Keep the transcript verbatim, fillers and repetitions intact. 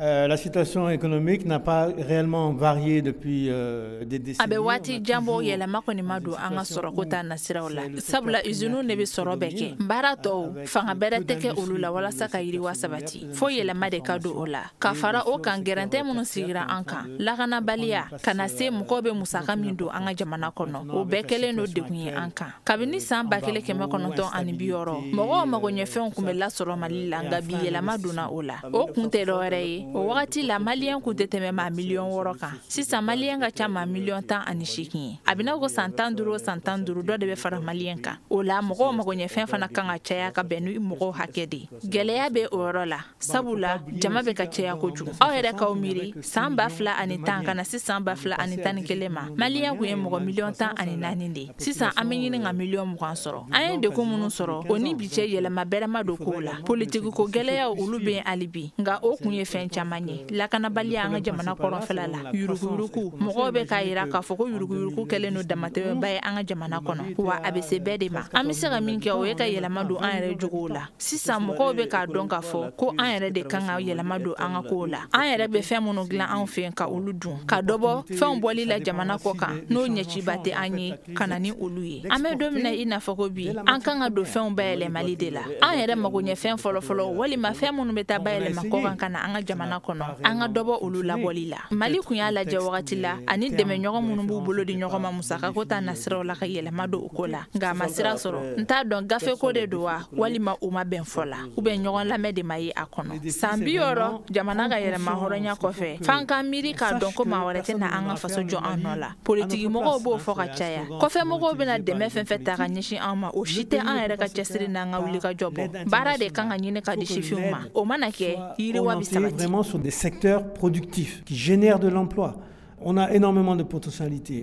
Euh, la situation économique n'a pas réellement varié depuis euh, des décennies. A bɛ waati jan bɔ, yɛlɛma kɔni ma don an ka sɔrɔko ta nasiraw la, sabula usiniw de bɛ sɔrɔ bɛɛ kɛ. Baara tɔw, fanga bɛrɛ tɛ kɛ olu la walasa ka yiriwa sabati, fo yɛlɛma de ka don o la. Ka fara o kan, gɛrɛntɛ minnu sigira an kan, lakanabaliya ka na se mɔgɔw bɛ musaka min don an ka jamana kɔnɔ, o bɛɛ kɛlen don degun ye an kan. Kabini san ba kelen kɛmɛ kɔnɔntɔn ani bi wɔɔrɔ, mɔgɔw magoɲɛfɛnw kun bɛ lasɔrɔ Mali la, nka bi yɛlɛma donna o la. O kun tɛ dɔwɛrɛ ye, o wagati la Maliyɛn kun tɛ tɛmɛ maa miliyɔn wɔɔrɔ kan. Sisan Maliyɛn ka ca maa miliyɔn tan ani seegin ye. A bɛna ko san tan duuru o san tan duuru, dɔ de bɛ fara Maliyɛn kan. O la mɔgɔw magoɲɛfɛn fana kan ka caya ka bɛn ni mɔgɔw hakɛ de ye. Gɛlɛya bɛ o yɔrɔ la, sabula jama bɛ ka caya kojugu. Aw yɛrɛ k'aw miiri, san ba fila ani tan ka na se san ba fila ani tan ni kelen ma, Maliyɛn kun ye mɔgɔ miliyɔn tan ani naani de ye. Sisan an bɛ ɲini ka miliyɔn mugan sɔrɔ. An ye degun minnu sɔrɔ, o ni bi cɛ, yɛlɛma bɛrɛ ma don kow la. Politiki ko gɛlɛyaw, olu bɛ yen hali bi, nka o kun ye fɛn caman ye: lakanabaliya an ka jamana kɔrɔnfɛla la, yuruguyurugu. Mɔgɔw bɛ k'a yira k'a fɔ ko yuruguyurugu kɛlen don damatɛmɛba ye an ka jamana kɔnɔ, wa a bɛ se bɛɛ de ma. An bɛ se ka min kɛ, o ye ka yɛlɛma don an yɛrɛ jogow la. Sisan mɔgɔw bɛ k'a dɔn k'a fɔ ko an yɛrɛ de kan ka yɛlɛma don an ka kow la. An yɛrɛ bɛ fɛn minnu dilan anw fɛ yen, ka olu dun, ka dɔ bɔ fɛnw bɔli la jamana kɔ kan n'o ɲɛciba tɛ an ye, ka na ni olu ye. An bɛ don min na i n'a fɔ ko bi, an kan ka don fɛnw bayɛlɛmali de la. An yɛrɛ magoɲɛfɛn fɔlɔfɔlɔ walima fɛn minnu bɛ taa bayɛlɛma kɔ kan ka na an ka jamana kɔnɔ, an ka dɔbɔ olu labɔli la. Mali kun y'a lajɛ wagati la ani dɛmɛɲɔgɔn minnu b'u bolo di ɲɔgɔn ma musakako ta nasiraw la, ka yɛlɛma don o ko la, nka a ma sira sɔrɔ. N t'a dɔn gafeko de don wa, walima u ma bɛn fɔ la, u bɛ ɲɔgɔn lamɛn de ma ye a kɔnɔ. San bi wɔɔrɔ jamana ka yɛlɛma hɔrɔnya kɔfɛ, f'an ka miiri k'a dɔn ko maa wɛrɛ tɛ na an ka faso jɔ an nɔ la. Politiki mɔgɔw b'o fɔ ka caya. Kɔfɛ mɔgɔw bɛna dɛmɛ fɛn fɛn ta ka ɲɛsin an ma, o si tɛ an yɛrɛ ka cɛsiri n'an ka wulikajɔ bɔ. Baara de kan ka ɲini ka di sifinw ma. O mana kɛ, yiriwa bɛ sabati. Vraiment sur des secteurs productifs qui génèrent de l'emploi. On a énormément de potentialités.